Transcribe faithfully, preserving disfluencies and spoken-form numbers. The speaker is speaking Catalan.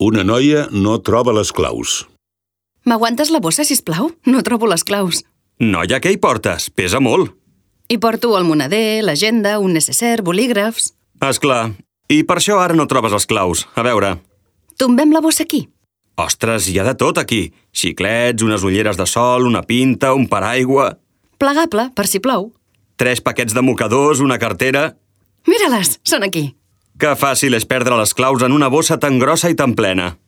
Una noia no troba les claus. M'aguantes la bossa, sisplau? No trobo les claus. Noia, què hi portes? Pesa molt. Hi porto el moneder, l'agenda, un necessaire, bolígrafs... És clar. I per això ara no trobes les claus. A veure... Tombem la bossa aquí. Ostres, hi ha de tot aquí. Xiclets, unes ulleres de sol, una pinta, un paraigua... Plegable, per si plou. Tres paquets de mocadors, una cartera... Mira-les, són aquí. Que fàcil és perdre les claus en una bossa tan grossa i tan plena.